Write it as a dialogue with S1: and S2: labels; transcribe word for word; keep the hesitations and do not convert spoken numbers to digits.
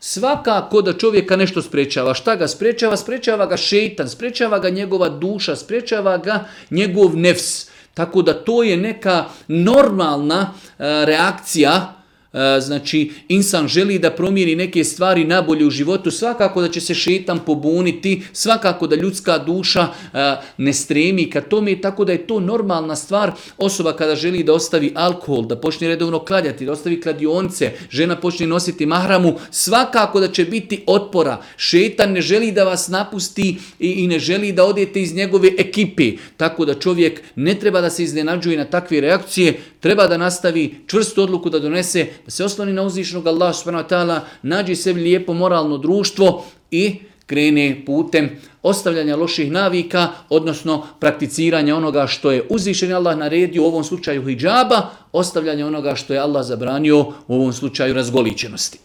S1: Svakako da čovjeka nešto sprečava. Šta ga sprečava? Sprečava ga šeitan, sprečava ga njegova duša, sprečava ga njegov nefs. Tako da to je neka normalna e, reakcija. Znači, insan želi da promijeni neke stvari nabolje u životu, svakako da će se šeitan pobuniti, svakako da ljudska duša ne stremi ka tome, tako da je to normalna stvar. Osoba kada želi da ostavi alkohol, da počne redovno kladjati, da ostavi kladionice, žena počne nositi mahramu, svakako da će biti otpora. Šeitan ne želi da vas napusti i, i ne želi da odete iz njegove ekipe, tako da čovjek ne treba da se iznenađuje na takve reakcije, treba da nastavi čvrstu odluku da donese, da se osloni na uzvišenog Allaha subhanahu wa ta'ala, nađi sebi lijepo moralno društvo i krene putem ostavljanja loših navika, odnosno prakticiranja onoga što je uzvišeni Allah naredio, u ovom slučaju hidžaba, ostavljanja onoga što je Allah zabranio, u ovom slučaju razgoličenosti.